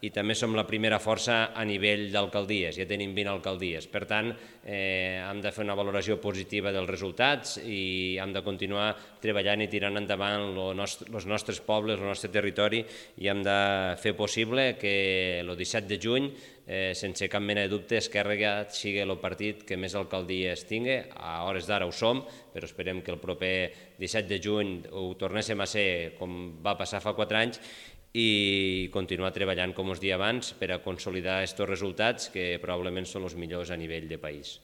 i també som la primera força a nivell d'alcaldies, ja tenim 20 alcaldies. Per tant, hem de fer una valoració positiva dels resultats i hem de continuar treballant i tirant endavant els nostres pobles, el nostre territori, i hem de fer possible que el 17 de juny, sense cap mena de dubte, Esquerra sigui el partit que més alcaldies tingui. A hores d'ara ho som, però esperem que el proper 17 de juny ho tornéssim a ser com va passar fa 4 anys, i continuar treballant, com us deia abans, per a consolidar aquests resultats que probablement són els millors a nivell de país.